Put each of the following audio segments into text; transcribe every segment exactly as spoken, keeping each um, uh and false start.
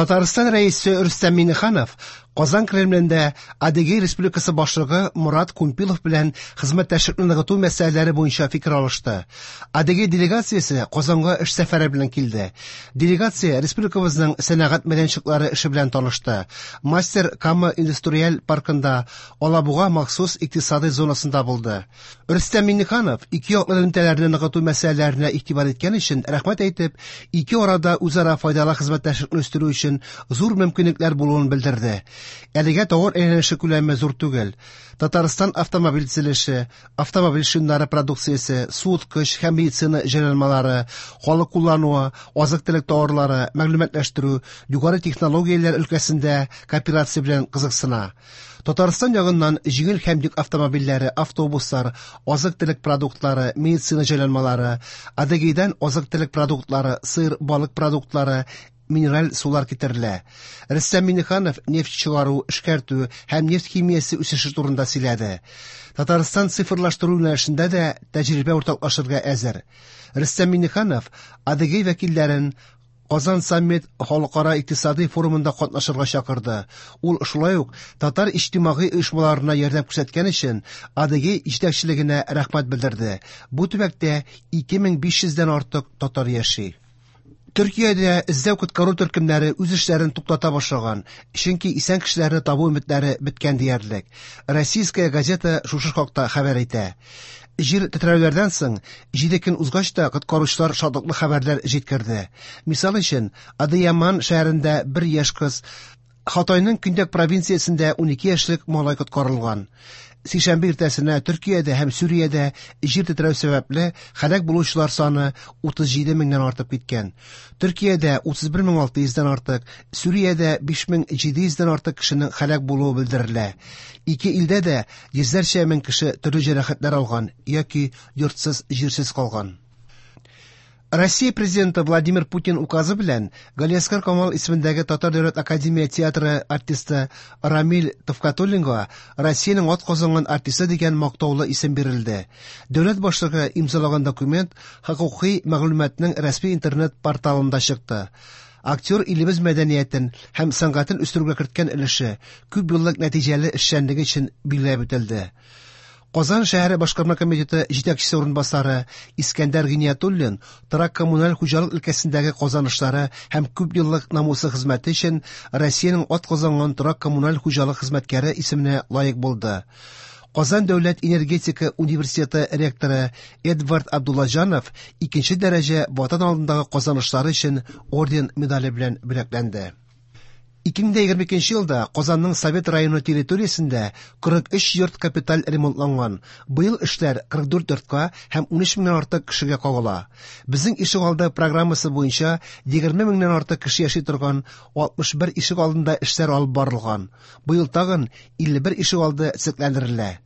Татарстан Рәисе Рөстәм Миңнеханов Казан Кремлендә Адыгей Республикасы башлыгы Мурат Кумпилов белән хезмәттәшлекне ныгыту мәсьәләләре буенча фикер алышты. Адыгей делегациясе Казанга эш сәфәре белән килде. Делегация республикабызның сәнәгать мәйданчыклары эше белән танышты. Мастер Кама индустриаль паркында, Алабуга махсус икътисадый зонасында булды. Рөстәм Миңнеханов ике яклы элемтәләрне ныгыту мәсьәләләренә игътибар иткән өчен рәхмәт әйтеп, ике арада үзара файдалы хезмәттәшлекне үстерү өчен зур мөмкинлекләр булуын белдерде. Әлегә товар әйләнеше күләме зур түгел. Татарстан автомобиль төзелеше, автомобиль шиннары продукциясе, суыткыч һәм медицина җайланмалары, халык куллануы, азык-төлек товарлары, мәгълүматлаштыру, югары технологияләр өлкәсендә кооперация белән кызыксына. Татарстан ягыннан җиңел һәм йөк автомобильләре, автобуслар, азык-төлек продуктлары, медицина җайланмалары, Адыгейдан азык-төлек продуктлары, сыр, балык продуктлары, минераль сулар китерелә. Рөстәм Миңнеханов нефть чыгару, эшкәртү һәм нефть химиясе үсеше турында сөйләде. Татарстан цифрлаштыру юнәлешендә дә тәҗрибә уртаклашырга әзер. Рөстәм Миңнеханов Адыгей вәкилләрен Казан саммит халыкара икътисадый форумында катнашырга чакырды. Ул шулай ук татар иҗтимагый оешмаларына ярдәм күрсәткән өчен Адыгей җитәкчелегенә рәхмәт белдерде. Бу төбәктә ике мең биш йөздән артык татар яши. Төркиядә эзләү-коткару төркемнәре үз эшләрен туктата башлаган, чөнки исән кешеләрне табу өметләре беткән диярлек. Российская газета шушы хакта хәбәр итә. Җир тетрәүләрдән соң җиде көн узгач та коткаручылар шатлыклы хәбәрләр җиткерде. Мисал өчен, Адыяман шәһәрендә бер яшь кыз, Хатайның көньяк провинциясендә унике яшьлек малай коткарылган. Сишәмбе иртәсенә Төркиядә һәм Сүриядә җир тетрәү сәбәпле һәлак булучылар саны утыз җиде меңнән артып киткән. Төркиядә утыз бер мең алты йөздән артык, Сүриядә биш мең җиде йөздән артык кешенең һәлак булуы белдерелә. Ике илдә дә йөзләрчә мең кеше төрле җәрәхәтләр алган яки йортсыз, җирсез калган. Россия президенты Владимир Путин указы белән Галиәсгар Камал исемендәге Татар дәүләт академия театры артисты Рамил Төхфәтуллинга Россиянең атказанган артисты дигән мактаулы исем бирелде. Дәүләт башлыгы имзалаган документ хокукый мәгълүматның рәсми интернет порталында чыкты. Актер илебез мәдәниятен һәм сәнгатен үстерүгә керткән өлеше күп еллык нәтиҗәле эшчәнлеге өчен билгеләп үтелде. Казан шәһәре башкарма комитеты җитәкчесе урынбасары Искәндәр Гиниятуллин торак коммуналь хуҗалык өлкәсендәге казанышлары һәм күп еллык намуслы хезмәте өчен Россиянең атказанган торак коммуналь хуҗалык хезмәткәре исеменә лаек булды. Казан дәүләт энергетика университеты ректоры Эдвард Абдуллаҗанов икенче дәрәҗә Ватан алдындагы казанышлары өчен орден медале белән бүләкләнде. Ике мең егерме икенче елда Казанның Совет районы территориясендә кырык өч йорт капиталь ремонтланган. Быел эшләр кырык дүрт йортка һәм ун өч меңнән артык кешегә кагыла. Безнең ишегалды программасы буенча егерме меңнән артык кеше яши торган алтмыш бер ишегалдында эшләр алып барылган. Быел тагын илле бер ишегалды төзекләндерелә.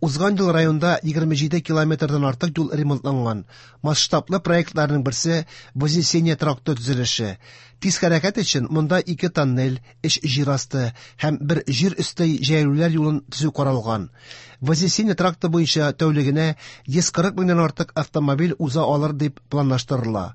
Узган ел районда егерме җиде километрдан артык юл ремонтланган. Масштаблы проектларның берсе Вознесение тракты төзелеше. Тиз хәрәкәт өчен монда ике тоннель, өч җир асты һәм бер җир өсте җәяүлеләр юлын төзү каралган. Вознесение тракты буенча тәүлегенә йөз кырык меңнән артык автомобиль уза алыр дип планлаштырыла.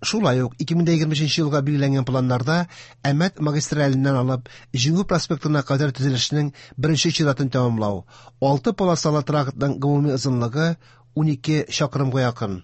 Шулай ук ике мең егерме өченче елга билгеләнгән планнарда Әмәт магистраленнән алып Җиңү проспектына кадәр төзелешнең беренче чиратын тәмамлау. Алты полосалы трактның гомуми озынлыгы унике чакрымга якын.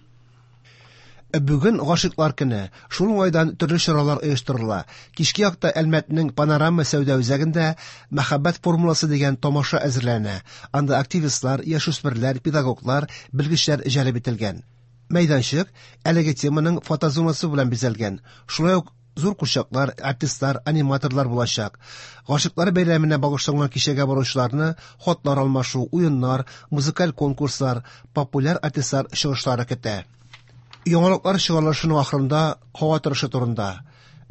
Бүген гашыйклар көне. Шул уңайдан төрле чаралар оештырыла. Кичке якта Әлмәтнең Панорама сәүдә үзәгендә Мәхәббәт формуласы дигән тамаша әзерләнә. Анда активистлар, яшүсмерләр, педагоглар, белгечләр җәлеп ителгән. Мәйданчык әлеге теманың фотозонасы белән бизәлгән. Шулай ук зур курчаклар, артистлар, аниматорлар булачак. Гашыйклар бәйрәменә багышланган кичәгә баручыларны хатлар алмашу, уеннар, музыкаль конкурслар, популяр артистлар чыгышлары көтә. Яңалыклар чыгарылышының ахырында һава торышы турында.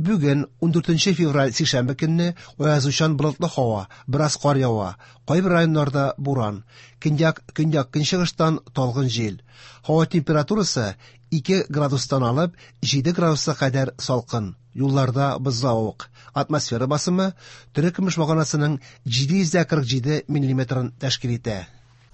Бүген ундүртенче февраль сишәмбе көнне аязучан болытлы һава, бераз кар ява, кайбер районнарда буран, көньяк, көньяк көнчыгыштан талгын җил. Һава температурасы ике градустан алып җиде градуска кадәр салкын. Юлларда бозлавык. Атмосфера басымы терекөмеш баганасының җиде йөз дә кырык җиде миллиметрын тәшкил итә.